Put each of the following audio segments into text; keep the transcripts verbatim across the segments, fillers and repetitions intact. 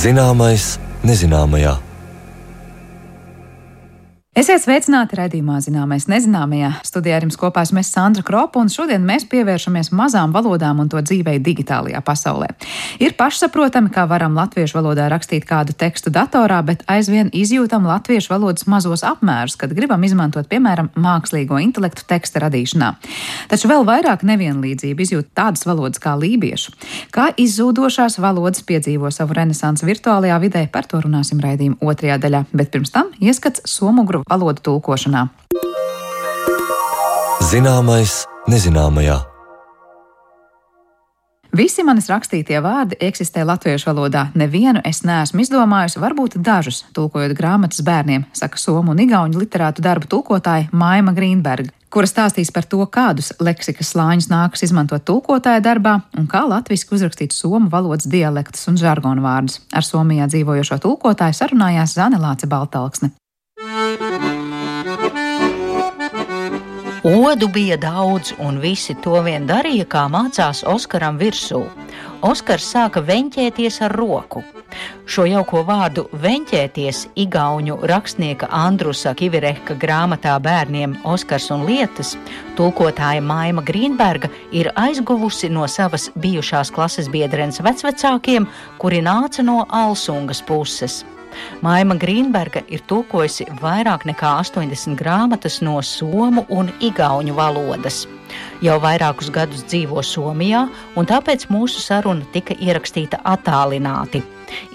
Zināmais nezināmajā. Esiet sveicināti raidījumā Zināmais nezināmajā. Studijā ar jums kopā esmu Sandra Kropa, un šodien mēs pievēršamies mazām valodām un to dzīvei digitālajā pasaulē. Ir pašsaprotami, kā varam latviešu valodā rakstīt kādu tekstu datorā, bet aizvien izjūtam latviešu valodas mazos apmērus, kad gribam izmantot, piemēram, mākslīgo intelektu teksta radīšanā. Taču vēl vairāk nevienlīdzību izjūt tādas valodas kā lībiešu. Kā izzūdošās valodas piedzīvo savu renesansi virtuālajā vidē, par to runāsim raidījuma otrajā daļā, bet pirms tam ieskats somugru valodu tulkošanā. Zināmais nezināmajā. Visi manis rakstītie vārdi eksistē latviešu valodā. Nevienu es neesmu izdomājusi, varbūt dažus, tulkojot grāmatas bērniem, saka somu un igauņu literātu darbu tulkotāja Maima Grīnberga, kura stāstīs par to, kādus leksikas slāņus nākas izmantot tulkotāja darbā un kā latviski uzrakstīt somu valodas dialektus un žargonu vārdus. Ar Somijā dzīvojošo tulkotāju sarunājās Zane Lāce Baltalksne. Odu bija daudz, un visi to vien darīja, kā mācās Oskaram virsū. Oskars sāka veņķēties ar roku. Šo jauko vārdu veņķēties igauņu rakstnieka Andrusa Kivirehka grāmatā bērniem Oskars un lietas tulkotāja Maima Grīnberga ir aizguvusi no savas bijušās klases biedrenes vecvecākiem, kuri nāca no Alsungas puses. Maima Grīnberga ir tulkojusi vairāk nekā astoņdesmit grāmatas no somu un igauņu valodas. Jau vairākus gadus dzīvo Somijā, un tāpēc mūsu saruna tika ierakstīta attālināti.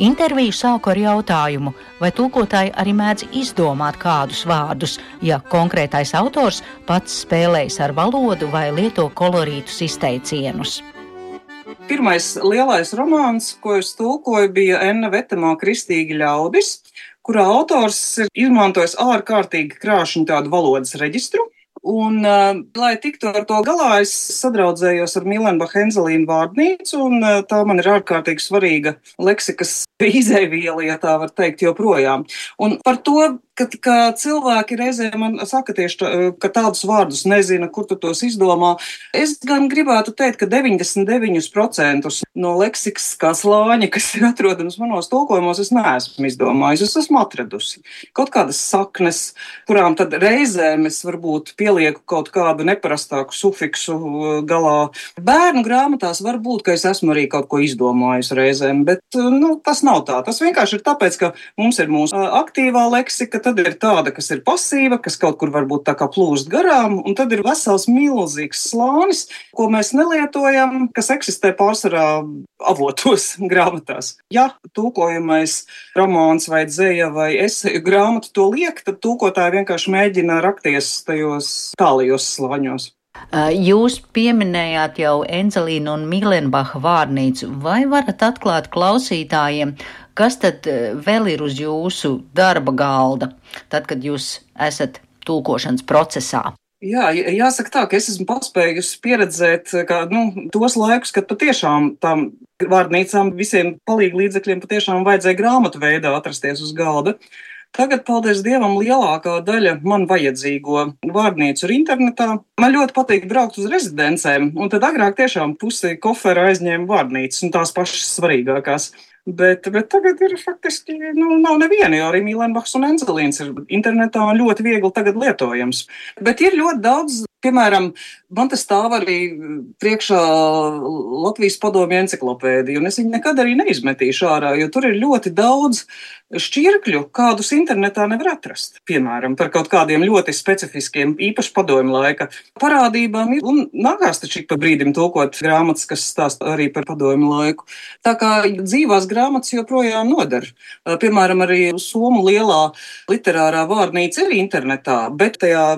Interviju sāku ar jautājumu, vai tulkotāji arī mēdz izdomāt kādus vārdus, ja konkrētais autors pats spēlējas ar valodu vai lieto kolorītus izteicienus. Pirmais lielais romāns, ko es tulkoju, bija Enna Vetemā Kristīgi ļaudis, kurā autors ir izmantojis ārkārtīgi krāšņu tādu valodas reģistru. Un, uh, lai tiktu ar to galā, es sadraudzējos ar Milenbacha Enzelīnu vārdnīcu, un uh, tā man ir ārkārtīgi svarīga leksikas izēviela, ja tā var teikt, joprojām. Un par to, ka, ka cilvēki reizē man saka tieši, ka tādus vārdus nezina, kur tu tos izdomā, es gan gribētu teikt, ka deviņdesmit deviņi procenti no leksikas kā slāņa, kas ir atrodams manos tulkojumos, es neesmu izdomājis, es esmu atradusi. Kaut kādas saknes, kurām tad reizēm es varbūt pielieku kaut kādu neparastāku sufiksu galā. Bērnu grāmatās var būt, ka es esmu arī kaut ko izdomājis reizēm, bet nu, tas nav tā. Tas vienkārši ir tāpēc, ka mums ir mūsu aktīvā leksika, tad ir tāda, kas ir pasīva, kas kaut kur varbūt tā kā plūst garām, un tad ir vesels milzīgs slānis, ko mēs nelietojam, kas eksistē pārsvarā avotos grāmatās. Ja tulkojamais romāns vai dzeja vai eseju grāmatu to liek, tad tulkotāji vienkārši mēģina rakties tajos tālajos slāņos. Jūs pieminējāt jau Enzelīnu un Milenbacha vārnīcu. Vai varat atklāt klausītājiem, kas tad vēl ir uz jūsu darba galda, tad, kad jūs esat tulkošanas procesā? Jā, jāsaka tā, ka es esmu paspējusi pieredzēt kā, nu, tos laikus, kad patiešām tām vārnīcām visiem palīgu līdzekļiem patiešām vajadzēja grāmatu veidā atrasties uz galda. Tagad, paldies Dievam, lielākā daļa man vajadzīgo vārnīcu ir internetā. Man ļoti patīk braukt uz rezidencēm, un tad agrāk tiešām pusi kofera aizņēma vārnīcas un tās pašas svarīgākās. Bet, bet tagad ir faktiski, nu, nav neviena, jo arī Milenbachs un Enzelīns ir internetā un ļoti viegli tagad lietojams. Bet ir ļoti daudz, piemēram, man tas stāv arī priekšā Latvijas padomju enciklopēdija, un es viņu nekad arī neizmetīšu ārā, jo tur ir ļoti daudz šķirkļu, kādus internetā nevar atrast. Piemēram, par kaut kādiem ļoti specifiskiem, īpaši padomju laika parādībām. Un nākās taču ik pa brīdim tulkot grāmatas, kas stāsta arī par padomju laiku. Tā kā dzīvās grāmatas joprojām nodara. Piemēram, arī somu lielā literārā vārnīca ir internetā, bet tajā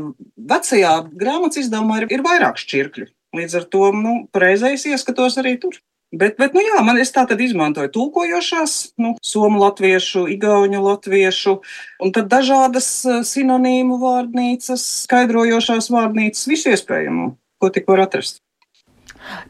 vecajā grāmatas izdevumā ir, ir vairāk šķirkļu. Līdz ar to, nu, pareizais ieskatos arī tur. Bet, bet, nu jā, man es tā tad izmantoju tulkojošās, nu, somu latviešu, igauņu latviešu, un tad dažādas sinonīmu vārnīcas, skaidrojošās vārnīcas, visu iespējamo, ko tik var atrast.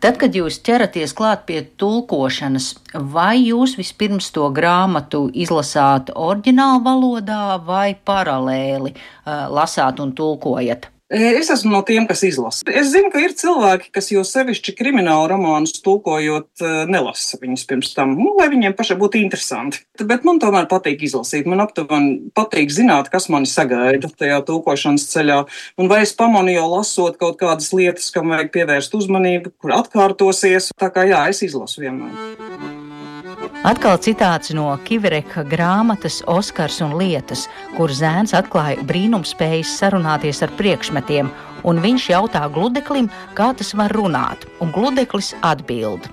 Tad, kad jūs ķeraties klāt pie tulkošanas, vai jūs vispirms to grāmatu izlasāt oriģinālu valodā vai paralēli uh, lasāt un tulkojat? Es esmu no tiem, kas izlasa. Es zinu, ka ir cilvēki, kas jau sevišķi kriminālu romānus tulkojot nelasa viņus pirms tam, nu, lai viņiem pašai būtu interesanti. Bet man tomēr patīk izlasīt. Man aptuveni patīk zināt, kas mani sagaida tajā tulkošanas ceļā. Un vai es pamanu jau lasot kaut kādas lietas, kam vajag pievērst uzmanību, kur atkārtosies. Tā kā jā, es izlasu vienmēr. Atkal citāts no Kivereka grāmatas Oskars un lietas, kur zēns atklāja brīnumspējas sarunāties ar priekšmetiem, un viņš jautā gludeklim, kā tas var runāt, un gludeklis atbild.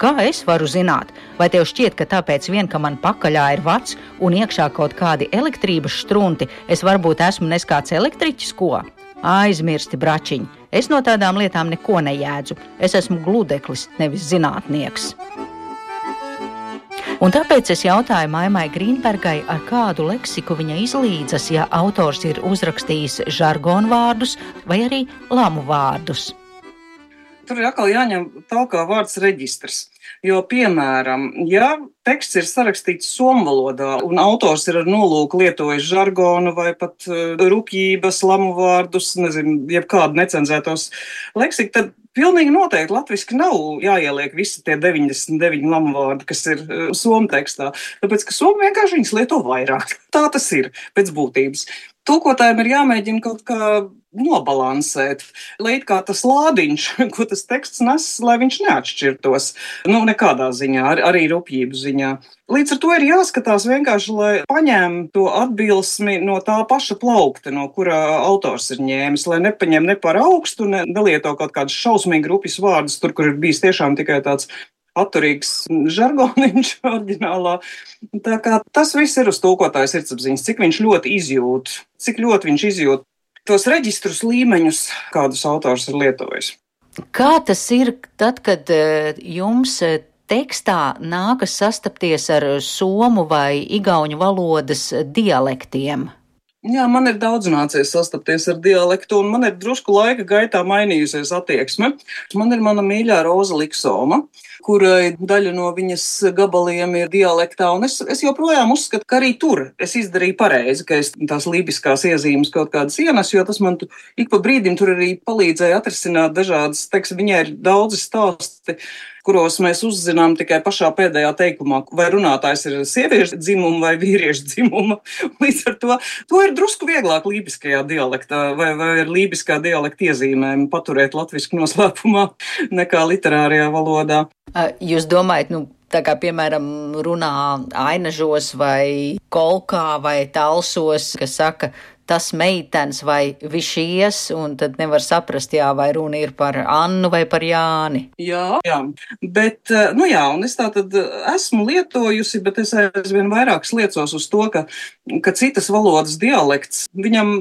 Kā es varu zināt? Vai tev šķiet, ka tāpēc vien, ka man pakaļā ir vads un iekšā kaut kādi elektrības štrunti, es varbūt esmu neskāds elektriķis, ko? Aizmirsti, bračiņ, es no tādām lietām neko nejēdzu. Es esmu gludeklis, nevis zinātnieks. Un tāpēc es jautāju Maimai Grīnbergai, ar kādu leksiku viņa izlīdzas, ja autors ir uzrakstījis žargonu vārdus vai arī lamu vārdus. Tur ir atkal jāņem talkā vārds reģistrs. Jo, piemēram, ja teksts ir sarakstīts somu valodā un autors ir ar nolūku lietojis žargonu vai pat rupjības, lamu vārdus, nezinu, jebkādu necenzētos leksiku, tad pilnīgi noteikti latviski nav jāieliek visi tie deviņdesmit deviņi lamu vārdi, kas ir uh, somu tekstā. Tāpēc, ka somu vienkārši viņas lieto vairāk. Tā tas ir pēc būtības. Tulkotājiem ir jāmēģina kaut kā nobalansēt, lai it kā tas lādiņš, ko tas teksts nes, lai viņš neatšķirtos. Nu, nekādā ziņā, ar, arī rupjību ziņā. Līdz ar to ir jāskatās vienkārši, lai paņem to atbilsmi no tā paša plaukta, no kura autors ir ņēmis, lai nepaņem ne par augstu, ne nelieto kaut kādus šausmīgi rupjas vārdus, tur, kur ir bijis tiešām tikai tāds atturīgs žargoniņš oriģinālā. Tā kā tas viss ir uz tulkotāja sirdsapziņas, cik viņš ļoti izjūt, cik ļoti viņš izjūt tos reģistrus līmeņus, kādus autors ir lietojis. Kā tas ir tad, kad jums tekstā nākas sastapties ar somu vai igauņu valodas dialektiem? Jā, man ir daudz nācies sastapties ar dialektu, un man ir drusku laika gaitā mainījusies attieksme. Man ir mana mīļā Roza Liksoma, kurai daļa no viņas gabaliem ir dialektā, un es, es joprojām uzskatu, ka arī tur es izdarīju pareizi, ka es tās lībiskās iezīmes kaut kādas ienesu, jo tas man tu, ik pa brīdim tur arī palīdzēja atrisināt dažādas, teiksim, viņai ir daudzi stāsti, kuros mēs uzzinām tikai pašā pēdējā teikumā, vai runātājs ir sieviešu dzimuma vai vīriešu dzimuma. Līdz ar to, to ir drusku vieglāk lībiskajā dialektā vai, vai ar lībiskā dialekta iezīmēm paturēt latvisku noslēpumā nekā literārajā valodā. Jūs domājat, nu, tā kā, piemēram, runā ainažos vai kolkā vai talsos, kas saka, tas meitens vai višies, un tad nevar saprast, jā, vai runa ir par Annu vai par Jāni. Jā, jā, bet, nu jā, un es tā tad esmu lietojusi, bet es aizvien vairāk sliecos uz to, ka, ka citas valodas dialekts, viņam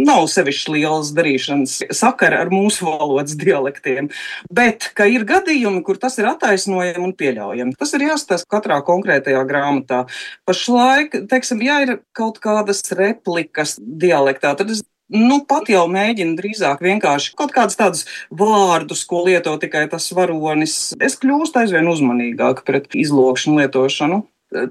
nav sevišķi lielas darīšanas sakara ar mūsu valodas dialektiem, bet, ka ir gadījumi, kur tas ir attaisnojami un pieļaujami. Tas ir jāstāsta katrā konkrētajā grāmatā. Pašlaik, teiksim, ja ir kaut kādas replikas dialektā, tad es nu, pat jau mēģinu drīzāk vienkārši kaut kādus tādus vārdus, ko lieto tikai tas varonis. Es kļūstu aizvien uzmanīgāk pret izlokšanu lietošanu.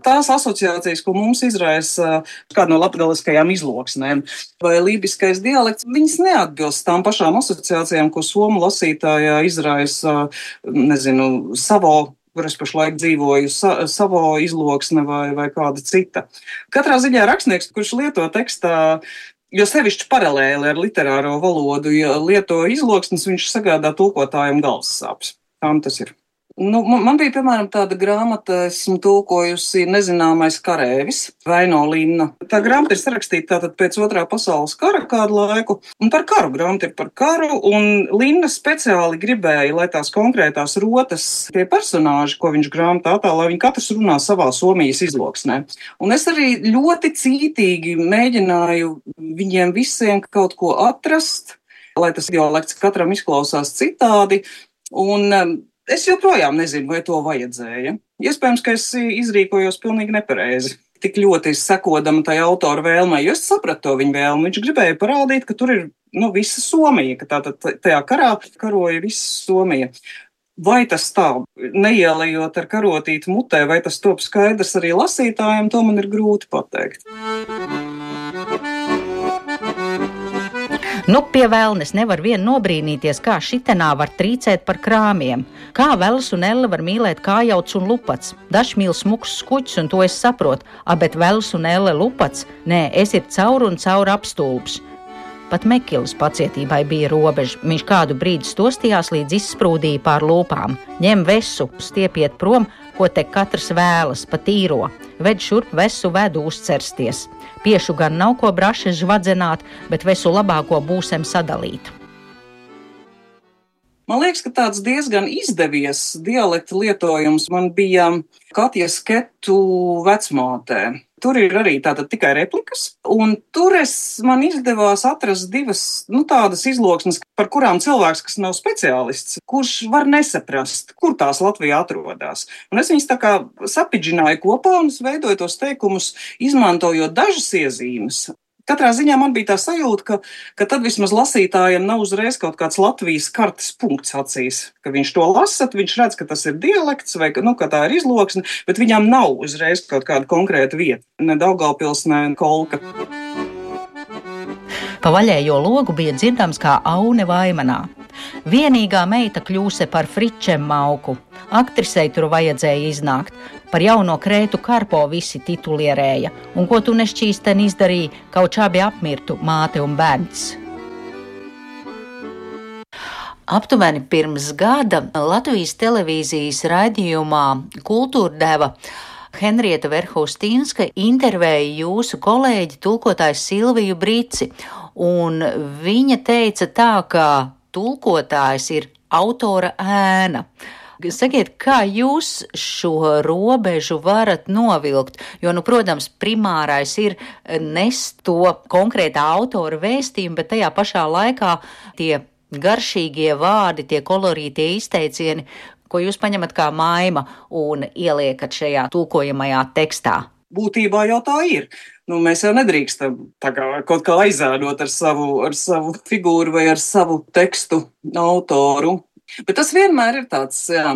Tās asociācijas, ko mums izraisa kāda no latgaliskajām izloksnēm vai lībiskais dialekts, viņas neatbilst tām pašām asociācijām, ko somu lasītājā izraisa, nezinu, savo, kur es pašlaik dzīvoju, sa, savo izloksne vai, vai kāda cita. Katrā ziņā rakstnieks, kurš lieto tekstā, jo sevišķi paralēli ar literāro valodu, ja lieto izloksnes, viņš sagādā tulkotājiem galvas sāpes. Tā tas ir. Nu, man bija, piemēram, tāda grāmata, esmu tulkojusi Nezināmais karēvis, Vaino Linna. Tā grāmata ir sarakstīta tātad pēc otrā pasaules kara kādu laiku, un par karu grāmata ir par karu, un Linna speciāli gribēja, lai tās konkrētās rotas, tie personāži, ko viņš grāmatā attēlo, lai viņi katrs runā savā Somijas izloksnē. Un es arī ļoti cītīgi mēģināju viņiem visiem kaut ko atrast, lai tas dialekts katram izklausās citādi, un es joprojām nezinu, vai to vajadzēja. Iespējams, ka es izrīkojos pilnīgi nepareizi. Tik ļoti sekodama tai autora vēlmai, jo es sapratu to viņa vēlmu. Viņš gribēja parādīt, ka tur ir nu, visa Somija, ka tātad tajā karā karoja visa Somija. Vai tas tā, neielējot ar karotīti mutē, vai tas top skaidrs arī lasītājiem, to man ir grūti pateikt. Nu, pie vēlnes nevar vien nobrīnīties, kā šitenā var trīcēt par krāmiem. Kā Vels un Elle var mīlēt kājauts un lupats. Dažs mīl smuks skuķis, un to es saprotu. A, bet Vels un Elle lupats? Nē, es ir caur un caur apstulbs. Pat Mekilas pacietībai bija robeža. Viņš kādu brīdi stostījās, līdz izsprūdīja pār lūpām. Ņem vesu, stiepiet prom, ko te katrs vēlas, pa tīro. Ved šurp vesu vedu uzcersties. Piešu gan nav ko braši žvadzenāt, bet vesu labāko būsem sadalīt. Man liekas, ka tāds diezgan izdevies dialekta lietojums man bija Katjas Ketu vecmātē. Tur ir arī tātad tikai replikas, un tur es man izdevās atrast divas, nu, tādas izloksnes, par kurām cilvēks, kas nav speciālists, kurš var nesaprast, kur tās Latvijā atrodas. Un es viņas tā kā sapidžināju kopā un es veidoju tos teikumus, izmantojot dažas iezīmes. Katrā ziņā man bija tā sajūta, ka, ka tad vismaz lasītājiem nav uzreiz kaut kāds Latvijas kartes punkts acīs, ka viņš to lasa, viņš redz, ka tas ir dialekts vai nu, ka tā ir izloksne, bet viņam nav uzreiz kaut kāda konkrēta vieta, ne Daugavpils, ne Kolka. Pa vaļējo logu bija dzirdams kā aune vaimanā. Vienīgā meita kļūse par fričem mauku. Aktrisei tur vajadzēja iznākt. Par jauno Krētu Karpo visi titulierēja. Un ko tu nešķīsten izdarīji, kaut čābi apmirtu māte un bērns. Aptuveni pirms gada Latvijas televīzijas raidījumā Kultūrdeva Henrieta Verhostīnska intervēja jūsu kolēģi tulkotājs Silviju Brici, un viņa teica tā, ka tulkotājs ir autora ēna. Sakiet, kā jūs šo robežu varat novilkt? Jo, nu, protams, primārais ir nest to konkrētā autora vēstījumu, bet tajā pašā laikā tie garšīgie vārdi, tie kolorītie izteicieni, ko jūs paņemat kā maima un ieliekat šajā tulkojamajā tekstā. Būtībā jau tā ir. Nu, mēs jau nedrīkstam tā kā kaut kā aizēdot ar savu, ar savu figūru vai ar savu tekstu autoru. Bet tas vienmēr ir tāds, jā,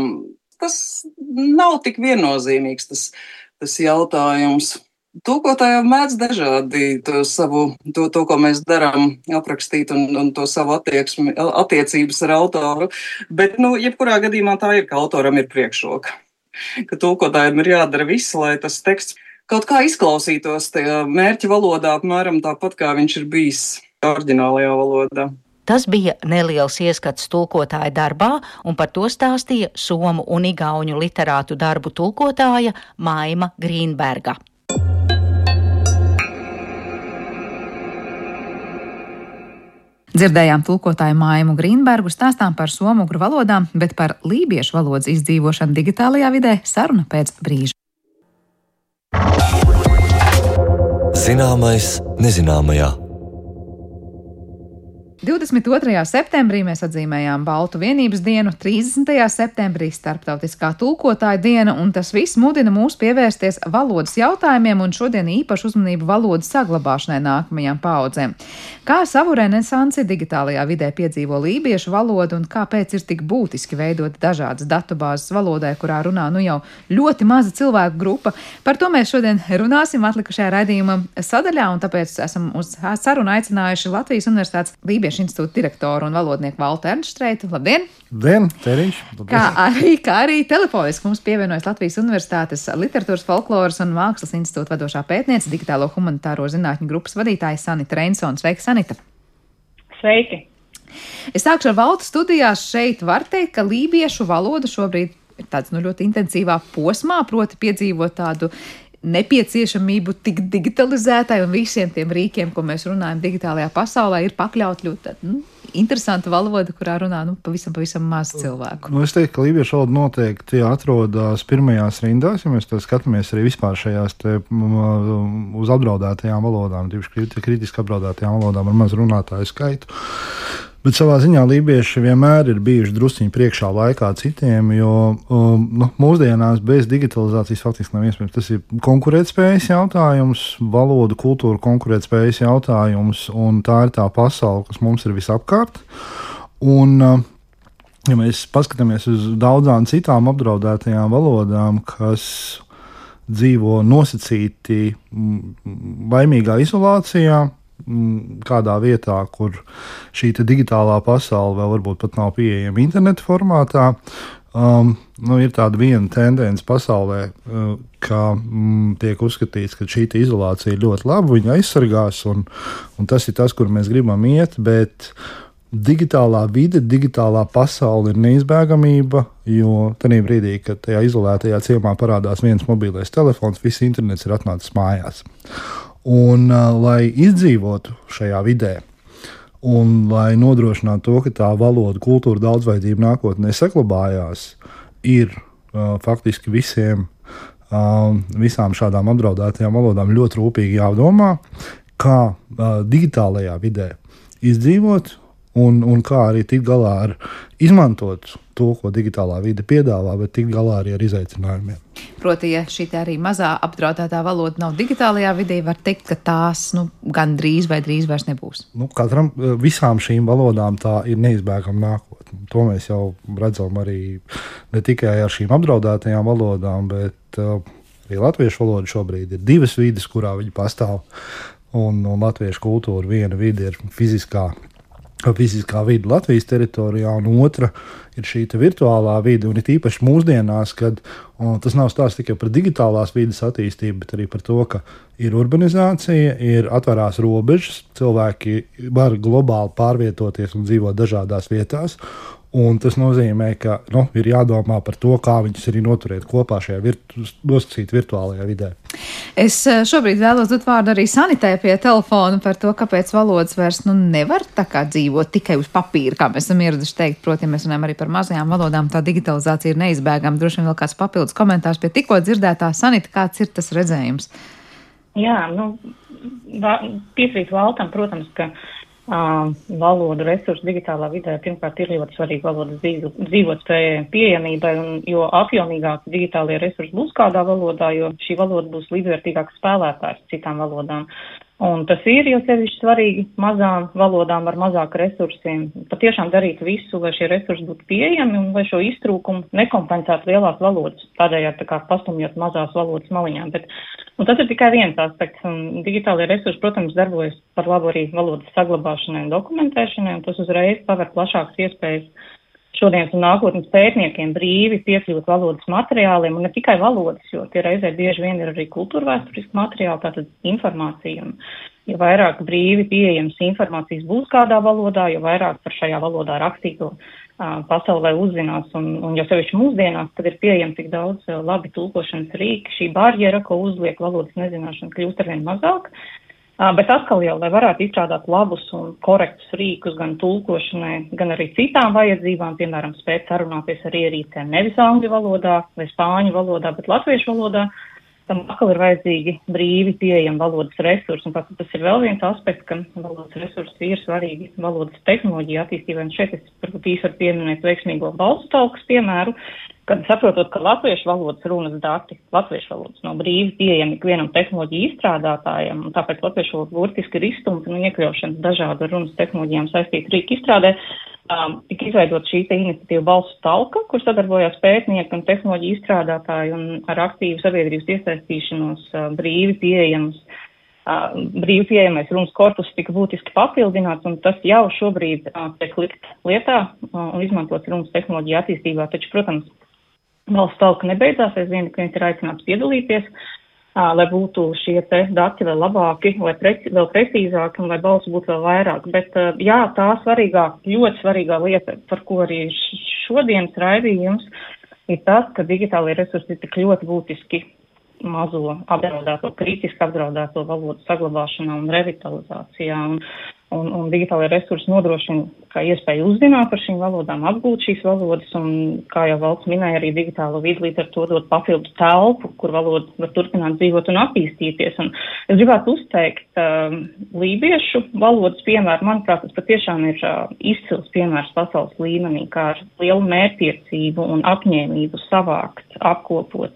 tas nav tik viennozīmīgs tas, tas jautājums. Tulkotājiem mēdz dažādi to savu, to, to, ko mēs darām, aprakstīt un, un to savu attieksmi, attiecības ar autoru. Bet, nu, jebkurā gadījumā tā ir, ka autoram ir priekšroka. Ka tulkotājiem ir jādara viss, lai tas teksts kaut kā izklausītos tajā mērķa valodā, apmēram tāpat, kā viņš ir bijis oriģinālajā valodā. Tas bija neliels ieskats tulkotāja darbā, un par to stāstīja somu un igauņu literātu darbu tulkotāja Maima Grīnberga. Dzirdējām tulkotāju Maimu Grīnbergu stāstām par somugru valodām, bet par lībiešu valodas izdzīvošanu digitālajā vidē saruna pēc brīža. Zināmais nezināmajā. divdesmit otrajā septembrī mēs atzīmējām Baltu vienības dienu, trīsdesmitajā septembrī starptautiskā tulkotāja diena, un tas viss mudina mūs pievērsties valodas jautājumiem un šodien īpašu uzmanību valodas saglabāšanai nākamajām paaudzēm. Kā savu renesansi digitālajā vidē piedzīvo lībiešu valodu un kāpēc ir tik būtiski veidot dažādas datubāzes valodai, kurā runā nu jau ļoti maza cilvēku grupa. Par to mēs šodien runāsim atlikušajā raidījuma sadaļā, un tāpēc esam uz sarunu aicinājuši Latvijas Universitātes Lībiešu institūta direktoru un valodnieku Valtu Ernststreitu. Labdien! Labdien, Terīši! Kā arī, kā arī telefoniski mums pievienojas Latvijas Universitātes Literatūras, folkloras un mākslas institūta vadošā pētniece, digitālo humanitāro zinātņu grupas vadītāja Sanita Reinsone. Sveika, Sanita! Sveiki! Es sākšu ar Valtu studijās. Šeit var teikt, ka lībiešu valoda šobrīd ir tāds nu, ļoti intensīvā posmā, proti piedzīvot tādu nepieciešamību tik digitalizētai un visiem tiem rīkiem, ko mēs runājam digitālajā pasaulē, ir pakļaut ļoti nu, interesanta valoda, kurā runā nu, pavisam, pavisam maz cilvēku. Nu, es teiktu, ka lībiešu valoda noteikti atrodas pirmajās rindās, ja mēs tā skatāmies arī vispār šajās te, uz apdraudētajām valodām, tieši kritiski apdraudētajām valodām ar maz runātāju skaitu. Bet savā ziņā lībieši vienmēr ir bijuši drusciņi priekšā laikā citiem, jo um, nu, mūsdienās bez digitalizācijas faktiski nav iespējams. Tas ir konkurētspējas jautājums, valodu, kultūra konkurētspējas jautājums, un tā ir tā pasaule, kas mums ir visapkārt. Un, uh, ja mēs paskatāmies uz daudzām citām apdraudētajām valodām, kas dzīvo nosacīti baimīgā izolācijā, kādā vietā, kur šī digitālā pasaule vēl varbūt pat nav pieejama interneta formātā. Um, nu, ir tāda viena tendence pasaulē, uh, ka mm, tiek uzskatīts, ka šī izolācija ir ļoti laba, viņa aizsargās, un, un tas ir tas, kur mēs gribam iet, bet digitālā vide, digitālā pasaule ir neizbēgamība, jo tajā brīdī, kad tajā izolētajā ciemā parādās viens mobilais telefons, viss internets ir atnācis mājās. Un, uh, lai izdzīvotu šajā vidē, un lai nodrošinātu to, ka tā valoda, kultūra daudzveidība nākotnē saglabājās, ir uh, faktiski visiem, uh, visām šādām apdraudētajām valodām ļoti rūpīgi jādomā, kā uh, digitālajā vidē izdzīvot, un, un kā arī tikt galā ar izmantot to, ko digitālā vide piedāvā, bet tikt galā arī ar izaicinājumiem. Proti, ja šī arī mazā apdraudētā valoda nav digitālajā vidē, var teikt, ka tās nu, gan drīz vai drīz vairs nebūs. Nu, katram, visām šīm valodām tā ir neizbēgama nākotne. To mēs jau redzam arī ne tikai ar šīm apdraudētajām valodām, bet uh, arī latviešu valoda šobrīd ir divas vides, kurā viņi pastāv. Un, un latviešu kultūra viena vide ir fiziskā fiziskā vide Latvijas teritorijā, un otra ir šī virtuālā vide. Un it īpaši mūsdienās, kad tas nav stāsts tikai par digitālās vides attīstību, bet arī par to, ka ir urbanizācija, ir atvērās robežas, cilvēki var globāli pārvietoties un dzīvot dažādās vietās. Un tas nozīmē, ka nu, ir jādomā par to, kā viņus arī noturēt kopā šajā virtu, nosacīt virtuālajā vidē. Es šobrīd vēlos dot vārdu arī Sanitē pie telefona par to, kāpēc valodas vairs nu, nevar tā kā dzīvot tikai uz papīra, kā mēs esam ieraduši teikt. Proti, mēs runājam arī par mazajām valodām, tā digitalizācija ir neizbēgama. Droši vien vēl kāds papildus komentārs pie tikko dzirdētā. Sanita, kāds ir tas redzējums? Jā, nu, piekrīt Valtam, protams, ka Uh, valodu resursu digitālā vidē pirmkārt ir ļoti svarīgi valodas dzīvot spējai pieejamībai, un jo apjomīgāk digitālie resursi būs kādā valodā, jo šī valoda būs līdzvērtīgāks spēlētājs citām valodām. Un tas ir jau sevišķi svarīgi mazām valodām ar mazāk resursiem. Patiešām darīt visu, lai šie resursi būtu pieejami un lai šo iztrūkumu nekompensētu lielās valodas, tādējādi tā kā pastumjot mazās valodas maliņām. Bet, un tas ir tikai viens aspekts. Un digitālie resursi, protams, darbojas par labu arī valodas saglabāšanai un dokumentēšanai, un tas uzreiz paver plašākas iespējas šodienas un nākotnes pētniekiem brīvi piekļūt valodas materiāliem, un ne tikai valodas, jo tie reizē bieži vien ir arī kultūrvēsturiski materiāli, tātad informācija. Un, jo vairāk brīvi pieejams informācijas būs kādā valodā, jo vairāk par šajā valodā rakstīto uh, pasaulē uzzinās, un, un jo sevišķi mūsdienās, kad ir pieejami tik daudz uh, labi tulkošanas rīki, šī barjera, ko uzliek valodas nezināšana, kļūst arvien mazāk. Uh, bet atkal jau, lai varētu izstrādāt labus un korektus rīkus gan tulkošanai, gan arī citām vajadzībām, piemēram, spēt sarunāties ar ierīcēm nevis angļu valodā vai spāņu valodā, bet latviešu valodā, tam atkal ir vajadzīgi brīvi pieejami valodas resursi. Un tas ir vēl viens aspekts, ka valodas resursi ir svarīgi valodas tehnoloģija attīstībai. Un šeit es varbūt īsi varu pieminēt veiksmīgo balsu talkas piemēru, kad saprotot, ka latviešu valodas runas dati, latviešu valodas nav brīvi pieejami ikvienam tehnoloģiju izstrādātājam, un tāpēc latviešu valoda burtiski ir izstumta no iekļaušanas dažādu runas tehnoloģijām saistītu rīku izstrādē. Um, tika izveidot šī iniciatīva balsu talka, kur sadarbojās pētnieki un tehnoloģiju izstrādātāji un ar aktīvu sabiedrības iesaistīšanos uh, brīvi pieejams. Uh, brīvi pieejamais runas korpus tika būtiski papildināts, un tas jau šobrīd uh, tiek likt lietā uh, un izmantots runas tehnoloģiju attīstībā. Taču, protams, balsu talka nebeidzās, aizvien, ka viņš ir aicināts piedalīties, uh, lai būtu šie te dati vēl labāki, lai preci, vēl precīzāki un lai balsu būtu vēl vairāk. Bet, uh, jā, tā svarīgā, ļoti svarīgā lieta, par ko arī šodienas raidījums, ir tas, ka digitālie resursi ir tik ļoti būtiski mazo apdraudēto, kritiski apdraudēto valodu saglabāšanā un revitalizācijā. Un, un, un digitālajie resursi nodrošina, kā iespēju uzzināt par šīm valodām, apgūt šīs valodas, un, kā jau Valds minēja, arī digitālo vidi līdz ar to dot papildu telpu, kur valoda var turpināt dzīvot un attīstīties. Un es gribētu uzteikt uh, lībiešu valodas piemēru. Manuprāt, tas patiešām ir uh, izcils piemērs pasaules līmenī, kā ar lielu mērķtiecību un apņēmību savākt, apkopot,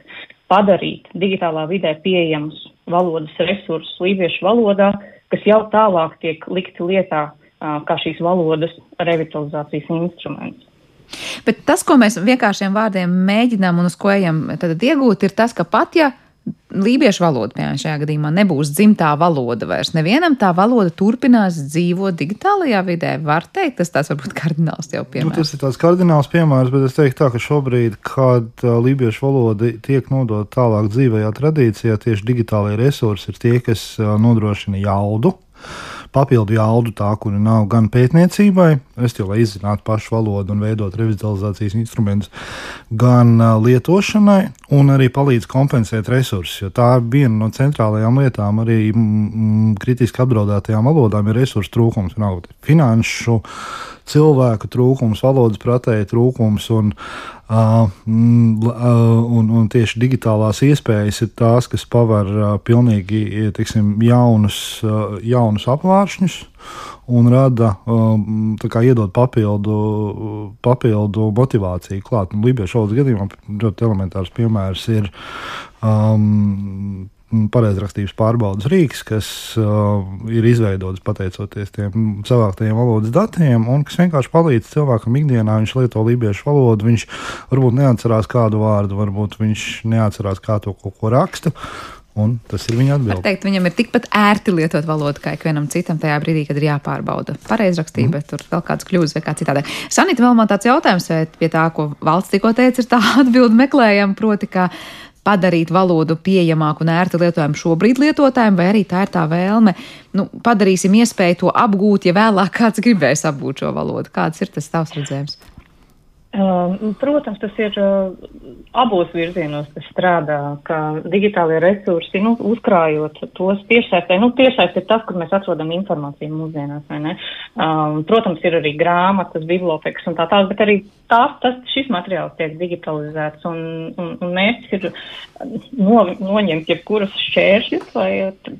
padarīt digitālā vidē pieejamus valodas resursus lībiešu valodā, kas jau tālāk tiek likti lietā uh, kā šīs valodas revitalizācijas instruments. Bet tas, ko mēs vienkāršiem vārdiem mēģinām un uz ko ejam tad iegūt, ir tas, ka pat ja lībiešu valoda, piemēram, šajā gadījumā nebūs dzimtā valoda vairs, nevienam tā valoda turpinās dzīvot digitālajā vidē. Var teikt, tas tāds varbūt kardināls jau piemērs. Nu, tas ir tāds kardināls piemērs, bet es teiktu tā, ka šobrīd, kad uh, lībiešu valoda tiek nodota tālāk dzīvajā tradīcijā, tieši digitālajie resursi ir tie, kas uh, nodrošina jaudu. Papildu jaudu tā, kura nav gan pētniecībai, respektīvi, lai izzinātu pašu valodu un veidot revitalizācijas instrumentus, gan uh, lietošanai, un arī palīdz kompensēt resursus, jo tā ir viena no centrālajām lietām arī mm, kritiski apdraudētajām valodām ir resursu trūkums, nav finanšu, cilvēku trūkums, valodas pratēju trūkums, un, uh, un, un tieši digitālās iespējas ir tās, kas paver uh, pilnīgi, teiksim, jaunus, uh, jaunus apvāršņus un rada, uh, tā kā iedod papildu, papildu motivāciju klāt. Un lībiešu valodas gadījumā ļoti elementārs piemērs ir um, pareizrakstības pārbaudas rīks, kas uh, ir izveidots pateicoties tiem savāktajiem valodas datiem un kas vienkārši palīdz cilvēkam ikdienā. Viņš lieto lībiešu valodu, viņš varbūt neatcerās kādu vārdu, varbūt viņš neatcerās kā to kaut ko raksta. Un tas ir viņa atbilde. Teikt, viņam ir tikpat ērti lietot valodu kā ikvienam citam tajā brīdī, kad ir jāpārbauda pareizrakstība, mm. tur vēl kāds kļūdas vai kā citādi. Sanita, vēl man tāds jautājums, vai pie tā, ko Valds tikko teica, ir tā atbilde meklējama, proti, ka padarīt valodu pieejamāku un ērti lietojumu šobrīd lietotājiem, vai arī tā ir tā vēlme, nu, padarīsim iespēju to apgūt, ja vēlāk kāds gribēs apgūt šo valodu. Kāds ir tas tavs redzējums? Uh, protams, tas ir uh, abos virzienos, tas strādā, ka digitālie resursi, nu, uzkrājot tos tiešsaistē, nu, tiešsaistē ir tas, kur mēs atrodam informāciju mūsdienās, vai ne? Uh, protams, ir arī grāmatas, bibliotekas un tā tās, bet arī tās, tas, šis materiāls tiek digitalizēts un, un, un mērķis ir no, noņemt jebkuras šķēršļus, lai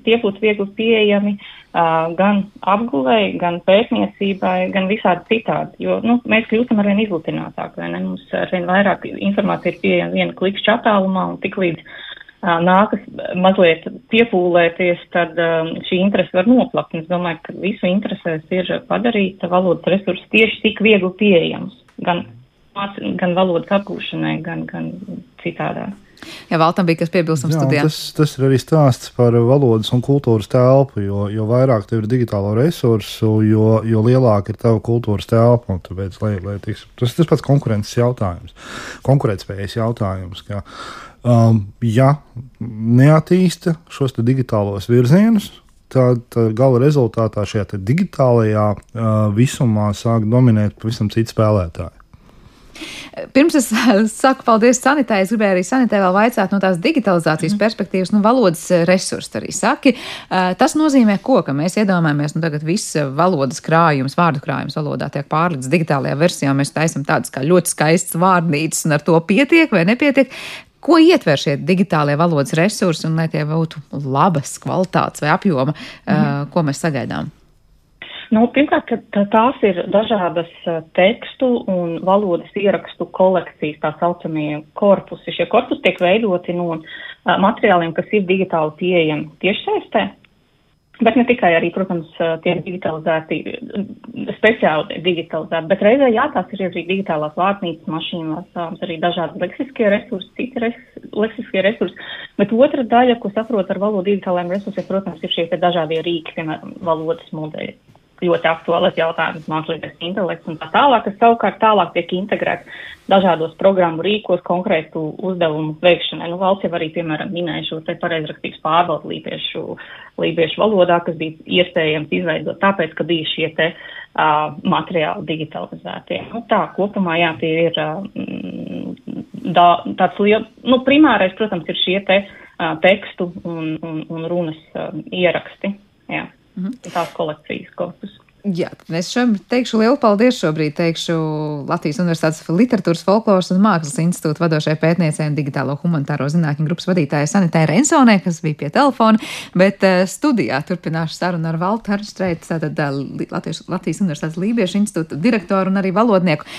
tie būtu viegli pieejami Uh, gan apguvēji, gan pētniecībai, gan visādi citādi, jo, nu, mēs kļūstam arvien izlutinātāk, vai ne? Mums arvien vairāk informācija ir pieejama viena klikšķa attālumā, un tik līdz uh, nākas mazliet piepūlēties, tad uh, šī interese var noplakt. Es domāju, ka visu interesēs ir padarīt valodas resursus tieši tik viegli pieejams, gan, gan valodas apgūšanai, gan, gan citādā. Jā, Valtam bija kas piebilstams studijā. Tas, tas ir arī stāsts par valodas un kultūras telpu, jo, jo vairāk tev ir digitālo resursu, jo, jo lielāka ir tava kultūras telpa. Tāpēc, lai, lai tiks, tas ir tas pats konkurences jautājums, konkurētspējas jautājums, ka um, ja neattīsta šos te digitālos virzienus, tad gala rezultātā šajā digitālajā uh, visumā sāk dominēt pavisam citi spēlētāji. Pirms es saku paldies Sanitai, es gribēju arī Sanitai vēl vaicāt no tās digitalizācijas mm. perspektīvas, nu valodas resursi arī saki. Tas nozīmē ko, ka mēs iedomājamies, nu tagad viss valodas krājums, vārdu krājums valodā tiek pārlikts digitālajā versijā, mēs taisam tādas kā ļoti skaistas vārnīcas un ar to pietiek vai nepietiek. Ko ietver šie digitālie valodas resursi un lai tie būtu labas kvalitātes vai apjoma, mm. ko mēs sagaidām? Nu, pirmkārt, ka tās ir dažādas tekstu un valodas ierakstu kolekcijas, tā saucamie korpusi. Šie korpusi tiek veidoti no materiāliem, kas ir digitāli pieejami tiešsaistē, bet ne tikai arī, protams, tiek digitalizēti, speciāli digitalizēti, bet reizē, jā, tās ir arī digitālās vārtnīcas, mašīnās, arī dažādi leksiskie resursi, citi res, leksiskie resursi, bet otra daļa, ko saprot ar valodu digitālajiem resursiem, protams, ir šie dažādie rīki, piemēram, valodas modeļi. Ļoti aktuālais jautājums, mākslīgais intelekts un tā tālāk, kas savukārt tālāk tiek integrēts dažādos programmu rīkos konkrētu uzdevumu veikšanai. Nu, Valsts jau arī, piemēram, minēja šo te pareizrakstības pārbaudu lībiešu, lībiešu valodā, kas bija iespējams izveidot tāpēc, ka bija šie te uh, materiāli digitalizētie. Nu, tā, kopumā, jā, tie ir uh, da, tāds liels, nu, primārais, protams, ir šie te uh, tekstu un, un, un runas uh, ieraksti, jā, mm-hmm. tās kolekcijas korpus. Jā, es šobrīd teikšu lielu paldies šobrīd teikšu Latvijas Universitātes literatūras, folkloras un mākslas institūta vadošajai pētniecei un digitālo humanitāro zinātņu grupas vadītājai Sanitē Rensonē, kas bija pie telefona, bet uh, studijā turpināšu sarunu ar Valtu Harstreitu, tātad uh, Latvijas, Latvijas Universitātes Lībiešu institūta direktoru un arī valodnieku.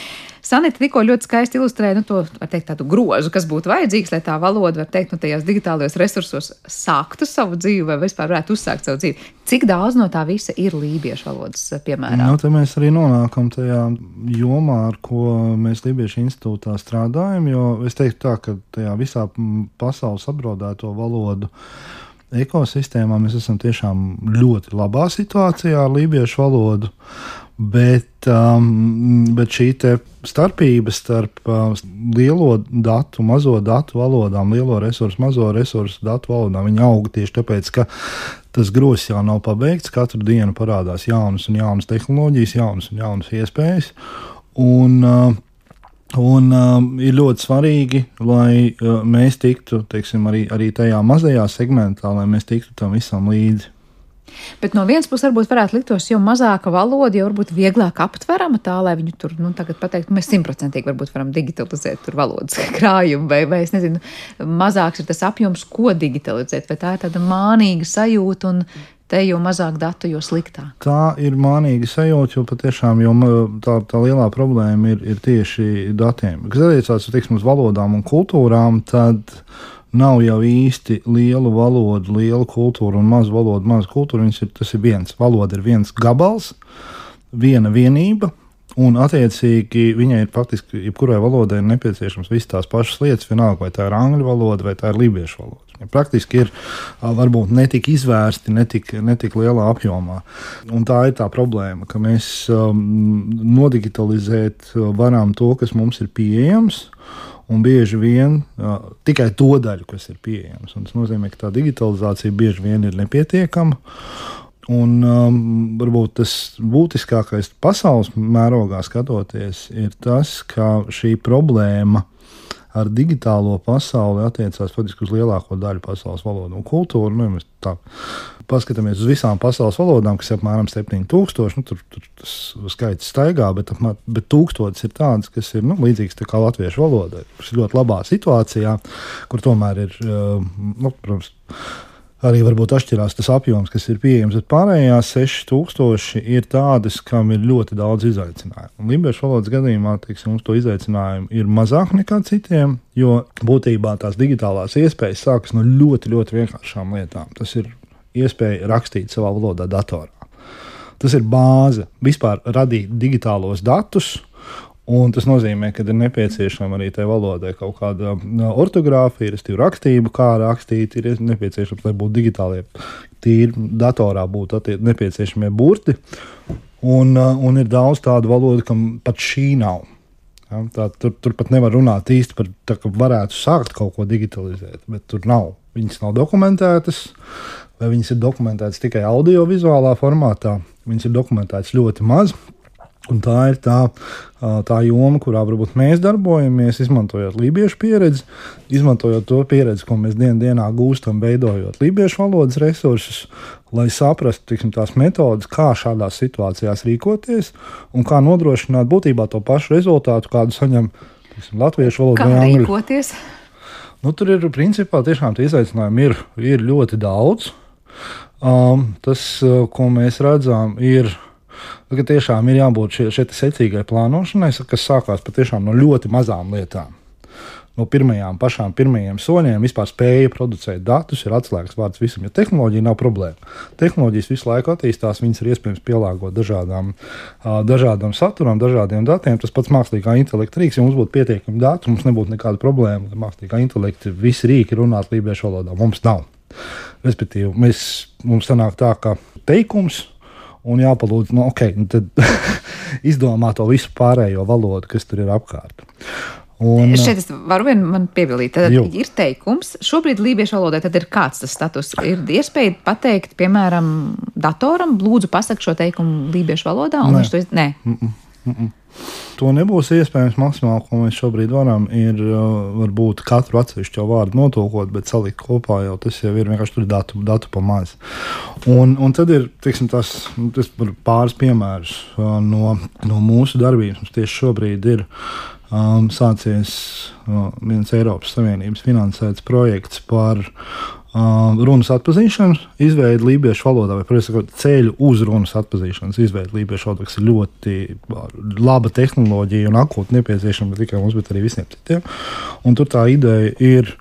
Sanita tikko ļoti skaisti ilustrēja, nu, to, var teikt, tādu grozu, kas būtu vajadzīgs, lai tā valoda, var teikt, nu, tajās digitālajos resursos sāktu savu dzīvi vai vispār varētu uzsākt savu dzīvi. Cik daudz no tā visa ir lībiešu valodas, piemēram? Nu, te mēs arī nonākam tajā jomā, ar ko mēs Lībiešu institūtā strādājam, jo es teiktu tā, ka tajā visā pasaules apdraudēto valodu ekosistēmā mēs esam tiešām ļoti labā situācijā ar lībiešu valodu. Bet, um, bet šī starpība starp uh, lielo datu, mazo datu valodām, lielo resursu, mazo resursu datu valodām, viņa aug tieši tāpēc, ka tas grozs jau nav pabeigts. Katru dienu parādās jaunas un jaunas tehnoloģijas, jaunas un jaunas iespējas. Un, uh, un uh, ir ļoti svarīgi, lai uh, mēs tiktu, teiksim, arī, arī tajā mazajā segmentā, lai mēs tiktu tam visam līdzi. Bet no vienas puses varbūt varētu liktos, jo mazāka valoda, jo varbūt vieglāk aptverama tā, lai viņu tur, nu, tagad pateikt, mēs simtprocentīgi varbūt varam digitalizēt tur valodas krājumu, vai, vai es nezinu, mazāks ir tas apjoms, ko digitalizēt, vai tā ir tāda mānīga sajūta un te jo mazāk datu, jo sliktāk. Tā ir mānīga sajūta, jo patiešām jo tā, tā lielā problēma ir, ir tieši datiem. Kas attiecās, teiksim, uz valodām un kultūrām, tad nav jau īsti lielu valodu, lielu kultūru un mazu valodu, mazu kultūru. Ir, tas ir viens. Valoda ir viens gabals, viena vienība, un attiecīgi viņai ir faktiski, jebkurai valodai ir nepieciešams visas tās pašas lietas, vienalga, vai tā ir angļu valoda, vai tā ir lībiešu valoda. Viņa praktiski ir varbūt netik izvērsti, netik, netik lielā apjomā. Un tā ir tā problēma, ka mēs um, nodigitalizēt varam to, kas mums ir pieejams, un bieži vien uh, tikai to daļu, kas ir pieejams. Un tas nozīmē, ka tā digitalizācija bieži vien ir nepietiekama. Un um, varbūt tas būtiskākais pasaules mērogā skatoties ir tas, ka šī problēma ar digitālo pasauli attiecās faktiski uz lielāko daļu pasaules valodu un kultūru. Nu, ja mēs tā paskatāmies uz visām pasaules valodām, kas ir apmēram septiņi tūkstoši, nu, tur, tur tas skaits staigā, bet, bet tūkstotis ir tādas, kas ir nu, līdzīgas tā kā latviešu valodai, kas ir ļoti labā situācijā, kur tomēr ir, nu, protams, arī varbūt atšķirās tas apjoms, kas ir pieejams, bet pārējās seši tūkstoši ir tādas, kam ir ļoti daudz izaicinājumu. Un lībiešu valodas gadījumā, teiksim, mums to izaicinājumu ir mazāk nekā citiem, jo būtībā tās digitālās iespējas sākas no ļoti, ļoti vienkāršām lietām. Tas ir iespēja rakstīt savā valodā datorā. Tas ir bāze vispār radīt digitālos datus. Un tas nozīmē, ka ir nepieciešama arī tai valodai kaut kāda ortogrāfija, restīvi rakstība, kā rakstīt, ir nepieciešams, lai būtu digitālie, tīri datorā būtu nepieciešamie burti. Un, un ir daudz tādu valodu, kam pat šī nav. Ja, tā, tur, tur pat nevar runāt īsti par tā, ka varētu sākt kaut ko digitalizēt, bet tur nav. Viņas nav dokumentētas, vai viņas ir dokumentētas tikai audiovizuālā formātā. Viņas ir dokumentētas ļoti maz. Un tā ir tā, tā joma, kurā varbūt mēs darbojamies, izmantojot lībiešu pieredzi, izmantojot to pieredzi, ko mēs dien dienā gūstam, veidojot lībiešu valodas resursus, lai saprastu, tiksim, tās metodas, kā šādās situācijās rīkoties un kā nodrošināt būtībā to pašu rezultātu, kādu saņem tiksim, latviešu valoda vai angļu. Kā rīkoties? Nu, tur ir, principā, tiešām tie izaicinājumi ir, ir ļoti daudz. Um, tas, ko mēs redzam, ir ka tiešām ir jābūt šie, šie secīgai plānošanai, kas sākās patiešām no ļoti mazām lietām. No pirmajām pašām pirmajiem soļiem vispār spēja producēt datus, ir atslēgas vārds visam, jo tehnoloģija nav problēma. Tehnoloģijas visu laiku attīstās, viņas ir iespējams pielāgot dažādām, dažādām saturam, dažādiem datiem. Tas pats mākslīgā intelekta rīks, ja mums būtu pietiekami dati, mums nebūtu nekāda problēma, ka mākslīgā intelekta visi rīki runāt lībiešu valodā. Mums nav. Respektīvi, mēs, mums sanāk tā, ka teikums un jāpalūdz, nu, ok, nu tad izdomā to visu pārējo valodu, kas tur ir apkārt. Un, šeit es varu vien man piebilīt, tad jū. Ir teikums, šobrīd lībiešu valodai tad ir kāds tas status, ir iespēja pateikt, piemēram, datoram, lūdzu pasakt šo teikumu lībiešu valodā, un nē. viņš to iz... Nē. Mm -mm, mm -mm. To nebūs iespējams maksimāli, ko mēs šobrīd varam, ir varbūt katru atsevišķo vārdu notulkot, bet salikt kopā jau tas jau ir vienkārši tur datu, datu pa maz. Un, un tad ir, teiksim, tas, tas pāris piemērus no, no mūsu darbības. Mums tieši šobrīd ir um, sācies uh, viens Eiropas Savienības finansēts projekts par Uh, runas atpazīšanu, izveidi lībiešu valodā, vai, protams, ceļu uz runas atpazīšanas izveidi lībiešu valodā, kas ir ļoti laba tehnoloģija un akūti nepieciešama ne tikai mums, bet arī visiem citiem. Un tur tā ideja ir,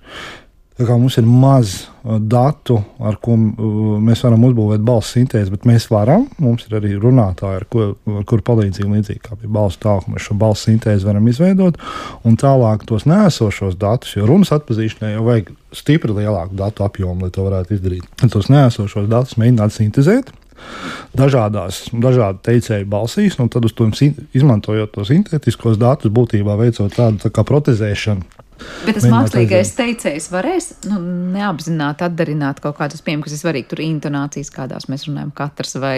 tā kā mums ir maz datu, ar ko mēs varam uzbūvēt balss sintēzi, bet mēs varam, mums ir arī runātāji, ar, ko, ar kuru palīdzību līdzīgi kā bija balss tālāk, mēs šo balss sintēzi varam izveidot, un tālāk tos neesošos datus, jo runas atpazīšanai jau vajag stipri lielāku datu apjomu, lai to varētu izdarīt. Un tos neesošos datus mēģināt sintezēt dažādās, dažādu teicēju balsīs, un tad uz to izmantojot tos sintētiskos datus, būtībā veicot tādu tā kā protezēšanu. Bet tas mākslīgais teicējs varēs nu, neapzināti atdarināt kaut kādus pieejamus, kas ir svarīgi, tur intonācijas, kādās mēs runājam katrs, vai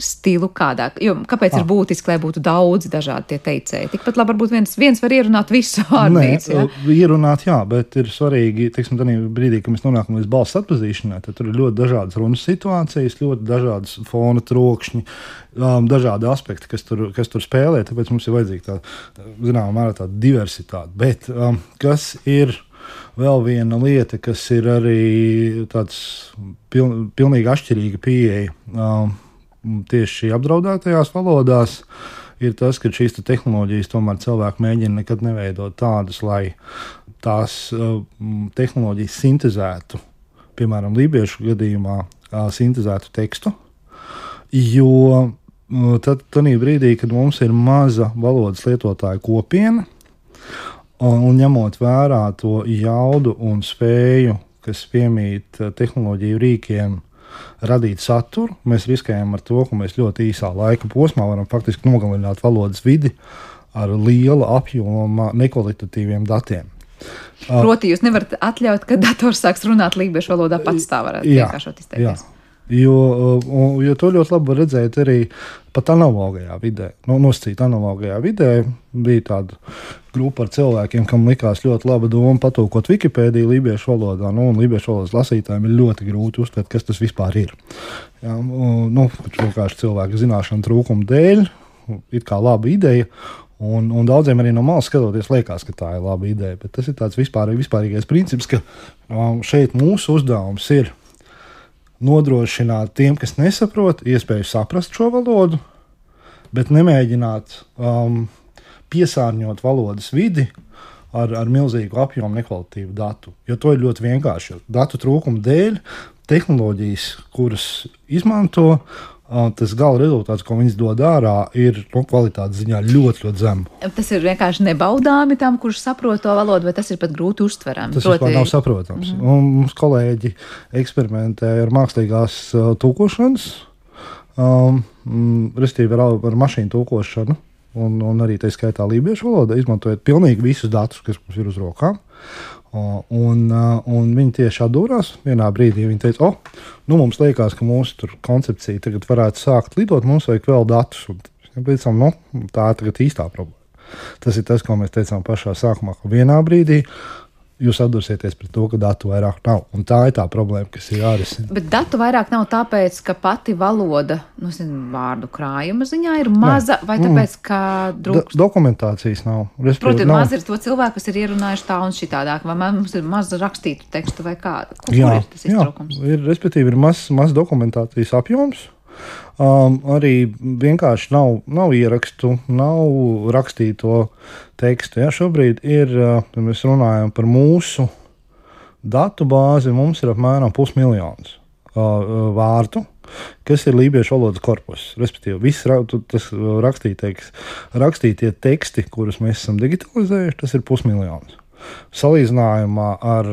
stilu kādā. Jo, kāpēc ah. ir būtiski, lai būtu daudzi dažādi tie teicēji? Tikpat labi varbūt viens, viens var ierunāt visu vārdnīcu. Nē, ja? ierunāt, jā, bet ir svarīgi, teiksim, tādā brīdī, kad mēs nonākam līdz balss atpazīšanai, tad tur ir ļoti dažādas runas situācijas, ļoti dažādas fona trokšņi, um, dažādi aspekti, kas tur, kas tur spēlē, tāpēc mums ir vajadzīga tāda, zināmā mērā tāda diversitāte. Bet um, kas ir vēl viena lieta, kas ir arī tāds piln, pilnīgi atšķirīga pieeja um, tieši apdraudētajās valodās, ir tas, ka šīs te tehnoloģijas tomēr cilvēki mēģina nekad neveidot tādas, lai tās uh, tehnoloģijas sintezētu, piemēram, lībiešu gadījumā uh, sintezētu tekstu, jo uh, tad tādā brīdī, kad mums ir maza valodas lietotāja kopiena, un, un ņemot vērā to jaudu un spēju, kas piemīt uh, tehnoloģiju rīkiem, radīt saturu, mēs riskējam ar to, ka mēs ļoti īsā laika posmā varam faktiski nogalināt valodas vidi ar liela apjoma nekvalitatīviem datiem. Proti, jūs nevarat atļaut, ka dators sāks runāt lībiešu valodā pats tā varētu vienkāršot izteikties. Jo, jo to ļoti labi var redzēt arī pat analogajā vidē. No, nosacīt analogajā vidē bija tāda grupa ar cilvēkiem, kam likās ļoti laba doma patūkot Wikipēdiju lībiešu valodā. Nu, un lībiešu valodas lasītājiem ir ļoti grūti uztvert, kas tas vispār ir. Jā, nu, vienkārši cilvēku zināšanu trūkumu dēļ, it kā laba ideja, un, un daudziem arī no malas skatoties liekas, ka tā ir laba ideja. Bet tas ir tāds vispār, vispārīgais princips, ka um, šeit mūsu uzdevums ir nodrošināt tiem, kas nesaprot, iespēju saprast šo valodu, bet nemēģināt um, piesārņot valodas vidi ar, ar milzīgu apjomu nekvalitīvu datu. Jo to ir ļoti vienkārši. Datu trūkuma dēļ tehnoloģijas, kuras izmanto, uh, tas gala rezultāts, ko viņas dod ārā, ir no kvalitātes ziņā ļoti, ļoti zemu. Tas ir vienkārši nebaudāmi tam, kurš saprot to valodu, vai tas ir pat grūti uztverami? Tas vispār nav saprotams. Mm-hmm. Un mums kolēģi eksperimentē ar mākslīgās uh, tūkošanas, um, restīvi ar, ar mašīnu tūkošanu, un, un arī tā skaitā lībiešu valoda, izmantojot pilnīgi visus datus, kas mums ir uz rokām. Uh, un, uh, un viņi tieši atdūrās vienā brīdī. Viņi teica, o, oh, nu mums liekas, ka mūsu tur koncepcija tagad varētu sākt lidot, mums vajag vēl datus. Un teicām, nu, tā ir tagad īstā problēma. Tas ir tas, ko mēs teicām pašā sākumā, ka vienā brīdī jūs atdursieties pret to, ka datu vairāk nav. Un tā ir tā problēma, kas ir jārisina. Bet datu vairāk nav tāpēc, ka pati valoda, nu, zinu, vārdu krājuma ziņā ir maza, ne. Vai tāpēc, ka drūkst? Do, dokumentācijas nav. Proti, maz ir to cilvēku, kas ir ierunājuši tā un šitādāk, vai mums ir maz rakstītu tekstu vai kā? Kur, jā, kur ir tas iztrūkums? Jā, ir, respektīvi, ir maz, maz dokumentācijas apjoms. Um, arī vienkārši nav, nav ierakstu, nav rakstīto tekstu. Ja, šobrīd ir, uh, mēs runājam par mūsu datu bāzi, mums ir apmēram pusmiljons uh, vārdu, kas ir lībiešu valodas korpus. Respektīvi, viss tas rakstītais, rakstītie teksti, kurus mēs esam digitalizējuši, tas ir pusmiljons. Salīdzinājumā ar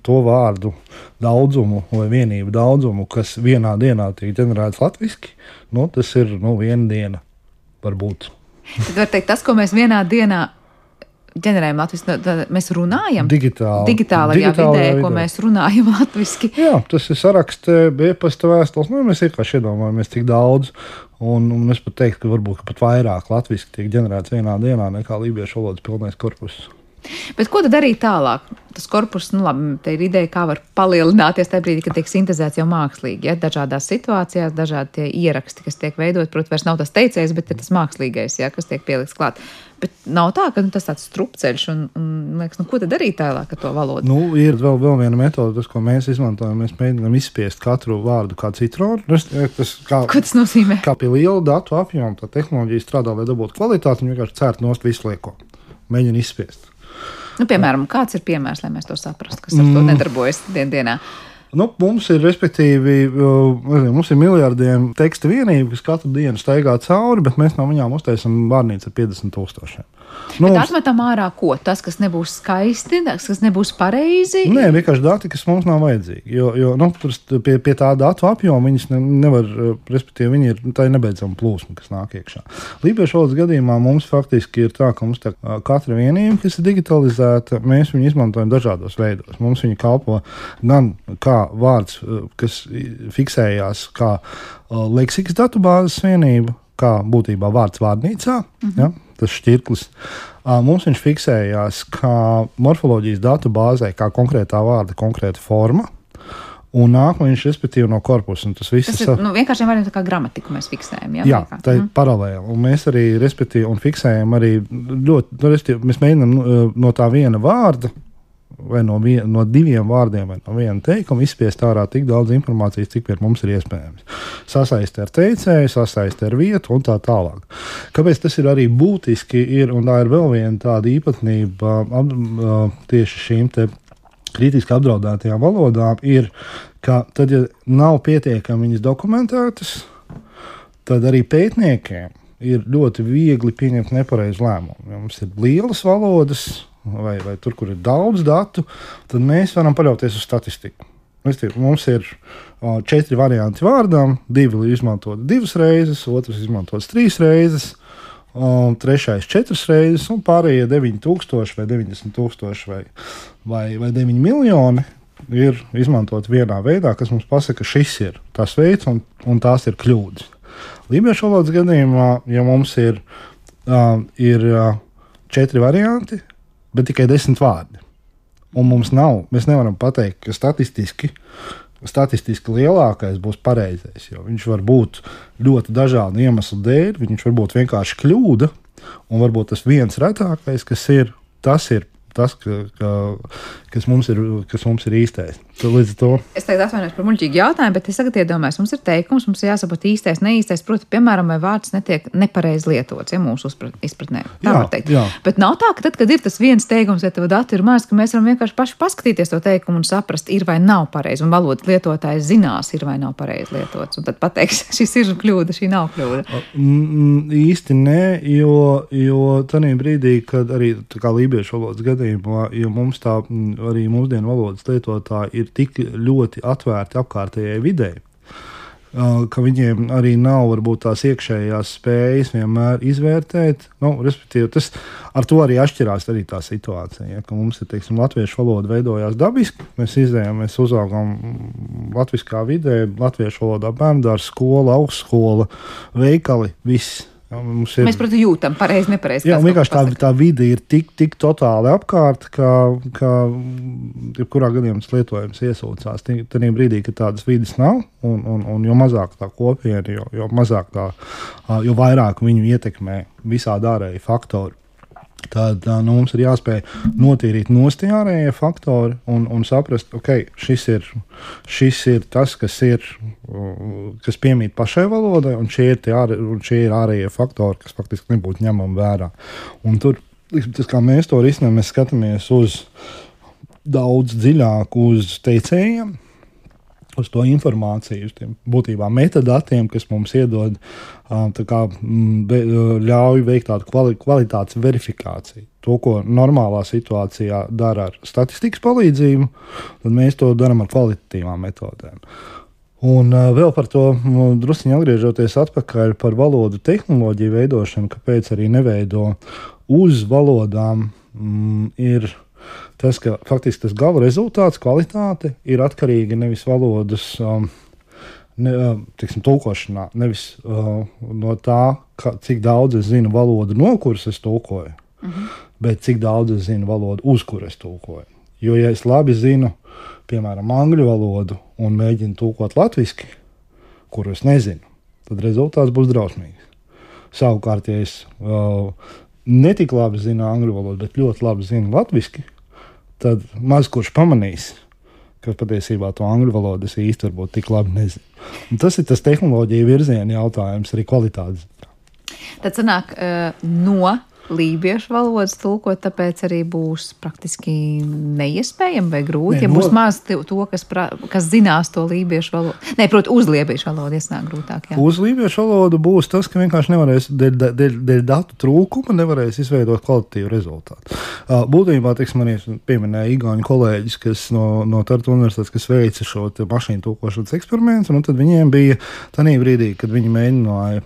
to vārdu daudzumu vai vienību daudzumu, kas vienā dienā tiek ģenerēts latviski, nu, tas ir nu, viena diena varbūt. Tad var teikt, tas, ko mēs vienā dienā ģenerējam latviski, mēs runājam digitāli, digitālajā vidē, vidē, ko mēs runājam latviski. Jā, tas ir sarakstē, e-pasta vēstules, nu, mēs vienkārši iedomājamies, cik daudz, Un, un es pat teiktu, ka varbūt ka pat vairāk latviski tiek ģenerēts vienā dienā nekā lībiešu valodas pilnais korpus. Bet ko tad darīt tālāk? Tas korpus, nu labi, te ir ideja, kā var palielināties tajā brīdī, kad tiek sintezēts jau mākslīgi, ja? Dažādās situācijās, dažādi tie ieraksti, kas tiek veidot, protams, vairs nav tas teicējs, bet ir tas mākslīgais, ja, kas tiek pielikts klāt. Bet nav tā, ka nu, tas tāds strupceļš un, un liekas, nu ko tad darīt tālāk ar to valodu? Nu, ir vēl, vēl viena metode, tas, ko mēs izmantojam, mēs mēģinām izspiest katru vārdu kā citronu. Tas, tas, kā, ko tas nozīmē? Kā pie liela datu apjoma, tā tehnoloģija strādā, lai dabūtu kvalitāti, un vienkārši cērt nost visu lieko. Mēģina izspiest. Nu, piemēram, kāds ir piemērs, lai mēs to saprastu, kas ar to nedarbojas dien dienā? Nu, mums ir, respektīvi, nezinu, mums ir miljardiem teksta vienību, kas katru dienu staigā cauri, bet mēs no viņām uztaisam vārnīcu ar piecdesmit tūkstošiem. Nu, bet atmetam ārā ko? Tas, kas nebūs skaisti, tas, kas nebūs pareizi? Nē, vienkārši dati, kas mums nav vajadzīgi. Jo, jo nu, pie, pie tā datu apjoma viņas ne, nevar, respektīvi, viņi ir, tā ir nebeidzama plūsma, kas nāk iekšā. Lībiešu valodas gadījumā mums faktiski ir tā, ka mums tā katra vienība, kas ir digitalizēta, mēs viņu izmantojam dažādos veidos. Mums viņa kalpo gan kā vārds, kas fiksējās kā leksikas datubāzes vienība, kā būtībā vārds vārnīcā, mm-hmm. ja, tas šķirklis. Mums viņš fiksējās kā morfoloģijas datubāzē, kā konkrētā vārda, konkrēta forma, un nāk viņš, respektīvi, no korpusa. Tas viss tas ir, nu, vienkārši vārds kā gramatiku mēs fiksējam. Jā, jā tā ir mm. paralēli. Un mēs arī, respektīvi, un fiksējam arī ļoti, respektīvi, mēs mēģinām no tā viena vārda, vai no, vien, no diviem vārdiem, vai no viena teikuma izspiest ārā tik daudz informācijas, cik pie mums ir iespējams. Sasaist ar teicēju, sasaist ar vietu un tā tālāk. Kāpēc tas ir arī būtiski, ir, un tā ir vēl viena tāda īpatnība ap, tieši šīm te kritiski apdraudētajām valodām, ir, ka tad, ja nav pietiekami viņas dokumentētas, tad arī pētniekiem ir ļoti viegli pieņemt nepareizu lēmumu. Ja mums ir lielas valodas, Vai, vai tur, kur ir daudz datu, tad mēs varam paļauties uz statistiku. Mums ir o, četri varianti vārdām, divi izmantot divas reizes, otrs izmantot trīs reizes, o, trešais četras reizes, un pārējie deviņi tūkstoši vai deviņdesmit tūkstoši vai, vai, vai deviņi miljoni ir izmantot vienā veidā, kas mums pasaka, ka šis ir tas veids un, un tās ir kļūdas. Lībiešu valodas gadījumā, ja mums ir, uh, ir uh, četri varianti, bet tikai desmit vārdi. Un mums nav, mēs nevaram pateikt, ka statistiski, statistiski lielākais būs pareizais, jo viņš var būt ļoti dažādu iemeslu dēļ, viņš var būt vienkārši kļūda, un varbūt tas viens retākais, kas ir, tas ir tas, ka, ka, kas, mums ir, kas mums ir īstais. Līdz to. Es tagad atvainojos par muļķīgu jautājumu, bet es tagad iedomājos, mums ir teikums, mums ir jāsaprot īstais, neīstais, proti, piemēram, vai vārds netiek nepareizi lietots, ja mūsu izpratnē. Tā jā, var teikt. Jā. Bet nav tā, ka tad, kad ir tas viens teikums, ja tev dati ir maz, ka mēs varam vienkārši paši paskatīties to teikumu un saprast, ir vai nav pareizi, un valodas lietotājs zinās, ir vai nav pareizi lietots, un tad pateiks, šis ir kļūda, šī nav kļūda. Mm, īsti nē, jo, jo tādā brīdī, kad arī kā lībiešu valodas gadījumā, jo mums tā arī mūsdienu valodas lietotāji ir tik ļoti atvērti apkārtējai videi, ka viņiem arī nav varbūt tās iekšējās spējas vienmēr izvērtēt. Nu, respektīvi, tas ar to arī atšķirās arī tā situācija, ja, ka mums ir, teiksim, latviešu valoda veidojās dabiski, mēs izējām, mēs uzaugām latviskā vidē, latviešu valodā bērndārs, skola, augstskola, veikali, viss. Ja, ir, mēs, protams, jūtam pareizi, nepareizi. Jā, vienkārši tā, tā vide ir tik, tik totāli apkārt, ka, ka jebkurā gadījumā tas lietojums iesūcās. Tajā brīdī, kad tādas vides nav, un, un, un jo mazāk tā kopiena, jo, jo mazāk tā, jo vairāk viņu ietekmē visādi ārēji faktori. Tad nu, mums ir jāspēj notīrīt nost tie ārējie faktori un, un saprast, ok, šis ir, šis ir tas, kas ir, kas piemīt pašai valodai, un šie ir, ārē, un šie ir ārējie faktori, kas faktiski nebūtu ņemami vērā. Un tur, tas, kā mēs to risinām, mēs skatāmies uz daudz dziļāk uz teicējiem, uz to informāciju, uz tiem būtībā metadatiem, kas mums iedod, tā kā ļauj veikt tādu kvali, kvalitātes verifikāciju. To, ko normālā situācijā dara ar statistikas palīdzību, tad mēs to darām ar kvalitatīvām metodēm. Un uh, vēl par to drusciņi atgriežoties atpakaļ par valodu tehnoloģiju veidošanu, kāpēc arī neveido uz valodām, mm, ir tas, ka faktiski tas gala rezultāts, kvalitāte ir atkarīga nevis valodas, um, ne, tiksim, tulkošanā, nevis uh, no tā, ka, cik daudz es zinu valodu, no kuras es tulkoju, uh-huh. bet cik daudz es zinu valodu, uz kuras es tulkoju. Jo, ja es labi zinu, piemēram, angļu valodu un mēģinu tulkot latviski, kuru es nezinu, tad rezultāts būs drausmīgs. Savukārt, ja es uh, netik labi zinu angļu valodu, bet ļoti labi zinu latviski, tad maz kurš pamanīs, ka patiesībā to angļu valodu es īsti varbūt tik labi nezinu. Un tas ir tas tehnoloģija virziena jautājums, arī kvalitātes. Tad sanāk uh, no lībiešu valodas tulkot, tāpēc arī būs praktiski neiespējami vai grūti, Nē, ja būs no... maz to, kas, pra, kas zinās to lībiešu valodu. Nē, proti, uz lībiešu valodu iesnāk grūtāk. Jā. Uz lībiešu valodu būs tas, ka vienkārši nevarēs, dēļ, dēļ, dēļ datu trūkuma nevarēs izveidot kvalitatīvu rezultātu. Būtībā, teiksim, arī pieminēja igauņu kolēģis, kas no, no Tartu universitātes, kas veica šo mašīnu tulkošanas eksperimentu, un tad viņiem bija tanī brīdī, kad viņi mēģināja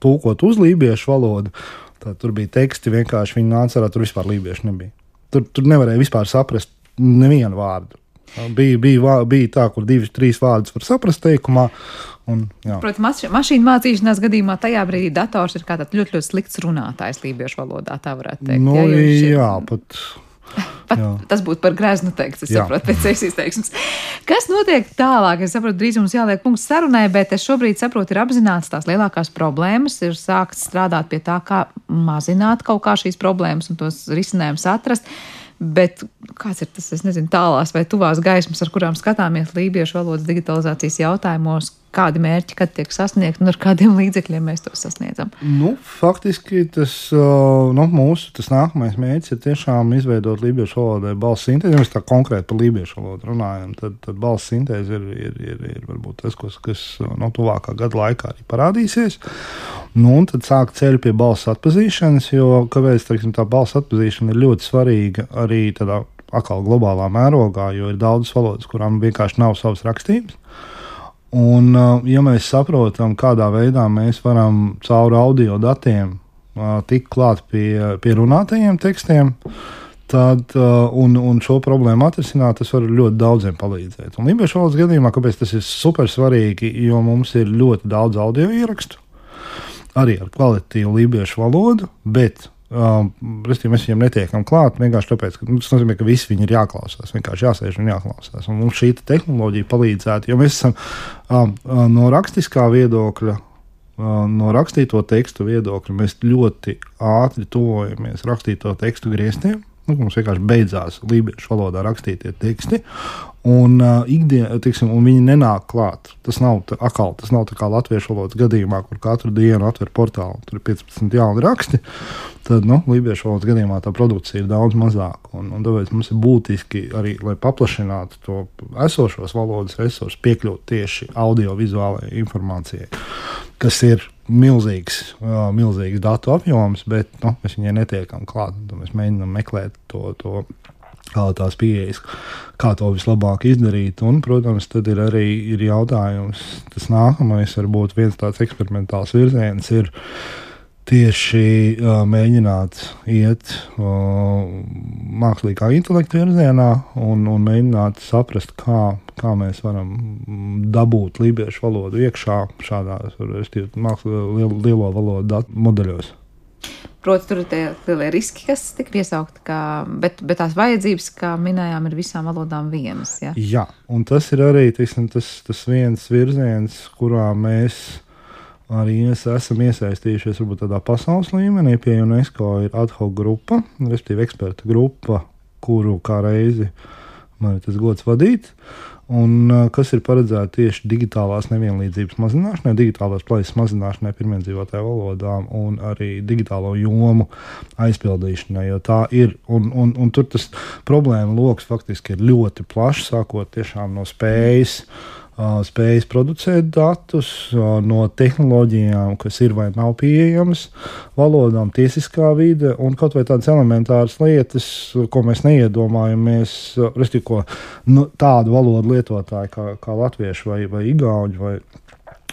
tulkot uz lībiešu valodu. Tā, tur bija teksti, vienkārši viņi nāca ārā, tur vispār lībiešu nebija. Tur, tur nevarēja vispār saprast nevienu vārdu. Bija, bija, bija tā, kur divas, trīs vārdus var saprast teikumā. Un, Protams, mašīnu mācīšanās gadījumā tajā brīdī dators ir kā tāds ļoti, ļoti slikts runātājs lībiešu valodā, tā varētu teikt. Nu, jā, jā, jā, pat... Pat jā. Tas būtu par greznu teikts, es jā. saprotu, pēc sevis izteiksmes. Kas notiek tālāk? Es saprotu, drīz mums jāliek punkts sarunai, bet es šobrīd saprotu, ir apzināts tās lielākās problēmas, ir sākts strādāt pie tā, kā mazināt kaut kā šīs problēmas un tos risinājumus atrast. Bet kāds ir tas, es nezinu, tālās vai tuvās gaismas, ar kurām skatāmies lībiešu valodas digitalizācijas jautājumos, kādi mērķi, kad tiek sasniegt un ar kādiem līdzekļiem mēs to sasniedzam? Nu, faktiski tas, nu, mūsu tas nākamais mērķis ir tiešām izveidot lībiešu valodai balss sintēzi. Ja mēs tā konkrēti par lībiešu valodu runājam, tad, tad balss sintēzi ir, ir, ir, ir varbūt tas, kas, kas no tuvākā gada laikā arī parādīsies. Nu, un tad sāk ceļu pie balss atpazīšanas, jo, kāpēc, teiksim, tā balss atpazīšana ir ļoti svarīga arī tādā atkal globālā mērogā, jo ir daudzas valodas, kurām vienkārši nav savas rakstības. Un, ja mēs saprotam, kādā veidā mēs varam caur audio datiem tikt klāt pie, pie runātajiem tekstiem, tad, un, un šo problēmu atrisināt, tas var ļoti daudziem palīdzēt. Un lībiešu valodas gadījumā, kāpēc tas ir super svarīgi, jo mums ir ļoti daudz audio ierakstu, arī ar kvalitatīvu lībiešu valodu, bet Um, Restīvi, mēs viņiem netiekam klāt, vienkārši tāpēc, ka nu, tas nozīmē, ka visi viņi ir jāklausās, vienkārši jāsēž un jāklausās. Un mums šī tehnoloģija palīdzētu, jo mēs esam um, no rakstiskā viedokļa, um, no rakstīto tekstu viedokļa, mēs ļoti ātri tuvojamies rakstīto tekstu grieztiem. Nu, mums vienkārši beidzās lībiešu valodā rakstītie teksti, un, uh, ikdien, tiksim, un viņi nenāk klāt. Tas nav tā, akal, tas nav tā kā latviešu valodas gadījumā, kur katru dienu atver portālu, tur ir piecpadsmit jauni raksti. Tad, nu, lībiešu valodas gadījumā tā produkcija ir daudz mazāka, un, un tāpēc mums ir būtiski arī, lai paplašinātu to esošos valodas resursus, piekļūt tieši audiovizuālajai informācijai, kas ir milzīgs, uh, milzīgs datu apjoms, bet nu, mēs viņai netiekam klāt. Mēs mēģinām meklēt to, to, tās pieejas, kā to vislabāk izdarīt. Un, protams, tad ir arī ir jautājums, tas nākamais varbūt viens tāds eksperimentāls virziens ir tieši uh, mēģināt iet uh, mākslīgā intelekta virzienā un, un mēģināt saprast, kā, kā mēs varam dabūt lībiešu valodu iekšā šādās lielo, lielo valodu datu modeļos. Proti, tur ir tie lielie riski, kas tika piesaukti, kā, bet, bet tās vajadzības, kā minējām, ir visām valodām vienas. Ja? Jā, un tas ir arī tiksim, tas, tas viens virziens, kurā mēs arī mēs esam iesaistījušies varbūt tādā pasaules līmenī. Pie UNESCO ir ad hoc grupa, respektīvi eksperta grupa, kuru kā reizi man ir tas gods vadīt, un kas ir paredzēta tieši digitālās nevienlīdzības mazināšanai, digitālās plaisas mazināšanai pirmiedzīvotāju valodām un arī digitālo jomu aizpildīšanai, jo tā ir, un, un, un tur tas problēma loks faktiski ir ļoti plašs, sākot tiešām no spējas, spējas producēt datus, no tehnoloģijām, kas ir vai nav pieejamas valodām, tiesiskā vide un kaut vai tādas elementāras lietas, ko mēs neiedomājamies, respektīvi, ko nu, tādu valodu lietotāji kā, kā latvieši vai, vai igauņi vai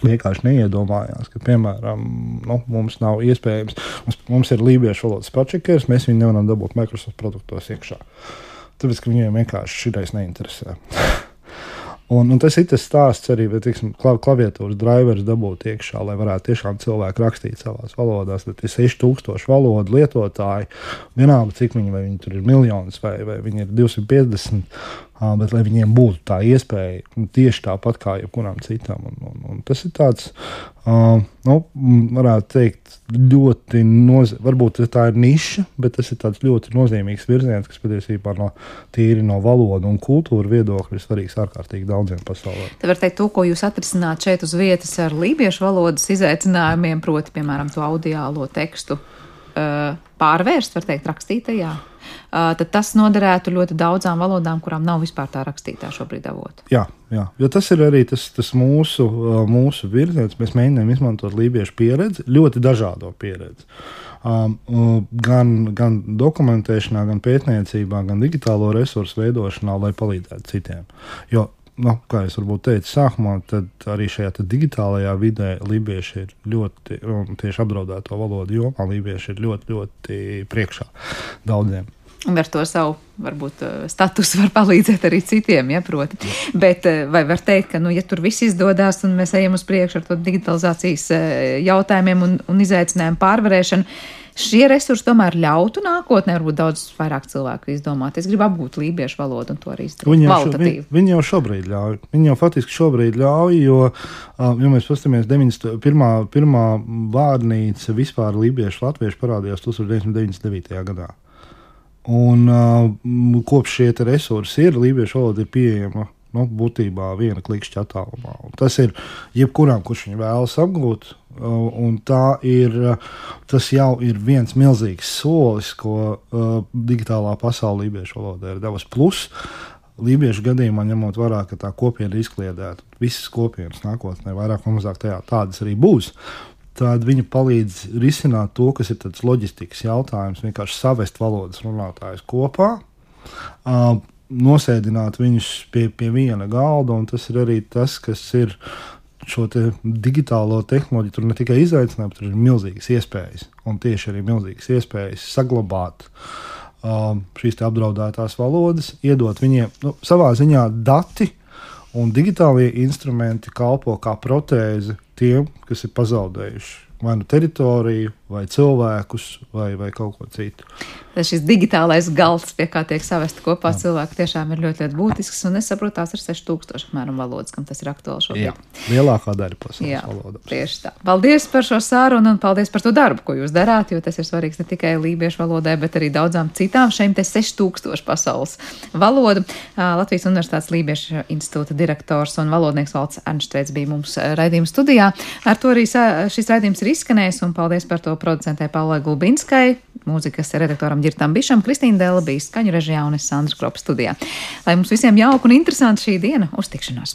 vienkārši neiedomājās, ka, piemēram, nu, mums nav iespējams, mums, mums ir lībiešu valodas spellcheckers, mēs viņu nevaram dabūt Microsoft produktos iekšā. Tāpēc, ka viņiem vienkārši šitais neinteresē. Un, un tas ir tas stāsts arī, bet, tiksim, klaviatūras drivers dabūt iekšā, lai varētu tiešām cilvēki rakstīt savās valodās. Tad ir seši tūkstoši valodu lietotāji, vienalga, cik viņi, vai viņi tur ir miljonus, vai, vai viņi ir divsimt piecdesmit, bet lai viņiem būtu tā iespēja tieši tāpat kā jebkuram citam. Un, un, un tas ir tāds, uh, nu, varētu teikt, ļoti nozīmīgs, varbūt tā ir niša, bet tas ir tāds ļoti nozīmīgs virziens, kas patiesībā no tīri no valodu un kultūra viedokļa ir svarīgs ārkārtīgi daudziem pasaulē. Te var teikt, to, ko jūs atrisināt šeit uz vietas ar lībiešu valodas izaicinājumiem, proti, piemēram, to audiālo tekstu uh, pārvērst, var teikt, rakstītajā. Uh, tad tas noderētu ļoti daudzām valodām, kurām nav vispār tā rakstītā šobrīd avota. Jā, jā, jo tas ir arī tas, tas mūsu, mūsu virziens. Mēs mēģinām izmantot lībiešu pieredzi, ļoti dažādo pieredzi. Um, gan, gan dokumentēšanā, gan pētniecībā, gan digitālo resursu veidošanā, lai palīdzētu citiem. Jo, nu, kā es varbūt teicu sākumā, tad arī šajā digitālajā vidē lībieši ir ļoti, un tieši apdraudēto valodu jomā, lībieši ir ļoti, ļoti priekšā daudziem. Un ar to savu, varbūt, statusu var palīdzēt arī citiem, ja, proti. Bet vai var teikt, ka, nu, ja tur viss izdodās un mēs ejam uz priekšu ar to digitalizācijas jautājumiem un, un izaicinājumu pārvarēšanu, šie resursi tomēr ļautu nākotnē, varbūt daudz vairāk cilvēku izdomāt. Es gribu apgūt lībiešu valodu un to arī izdarīt kvalitatīvi. Viņi, viņi jau šobrīd ļauj. Viņi jau faktiski šobrīd ļauj, jo, ja mēs paskatāmies, deviņdesmit pirmā, pirmā vārnīca vispār lībiešu latviešu parādījās deviņdesmit deviņtajā gadā. Un uh, kopš šie resursi ir, lībiešu valoda ir pieejama, nu, būtībā viena klikšķa attālumā. Un tas ir jebkuram, kurš viņu vēlas apgūt, uh, un tā ir, uh, tas jau ir viens milzīgs solis, ko uh, digitālā pasaule lībiešu valodā ir devusi. Plus, lībiešu gadījumā ņemot vērā, ka tā kopiena ir izkliedēta, visas kopienas nākotnē vairāk vai mazāk tajā tādas arī būs. Tad viņi palīdz risināt to, kas ir tāds loģistikas jautājums, vienkārši savest valodas runātājus kopā, uh, nosēdināt viņus pie, pie viena galda, un tas ir arī tas, kas ir šo te digitālo tehnoloģiju, tur ne tikai izaicinājumi, tur ir milzīgas iespējas, un tieši arī milzīgas iespējas saglabāt uh, šīs te apdraudētās valodas, iedot viņiem, nu, savā ziņā dati, un digitālie instrumenti kalpo kā protēze tiem, kas ir pazaudējuši vai nu teritoriju, vai cilvēkus, vai, vai kaut ko citu. Šis digitālais galds, pie kā tiek savesti kopā Jā. cilvēki, tiešām ir ļoti, ļoti būtisks, un es saprotu, tās ir seši tūkstoši apmēram valodas, kam tas ir aktuāli šobrīd. Jā, lielākā daļa pasaules Jā, valodām. Tieši tā. Paldies par šo sārunu un paldies par to darbu, ko jūs darāt, jo tas ir svarīgs ne tikai lībiešu valodai, bet arī daudzām citām šiem te seši tūkstoši pasaules valodu. Latvijas Universitātes Lībiešu institūta direktors un valodnieks Valds Ernštveits bija mums raidījuma studijā. Ar to arī šis raidījums ir izskanējis, un paldies par to producentē Paulai Gulbinskai, mūzikas redaktoram Ģirtam Bišam, Kristīna Dela bija skaņu režijā un es Sandra Kropa studijā. Lai mums visiem jauka un interesanta šī diena, uz tikšanos!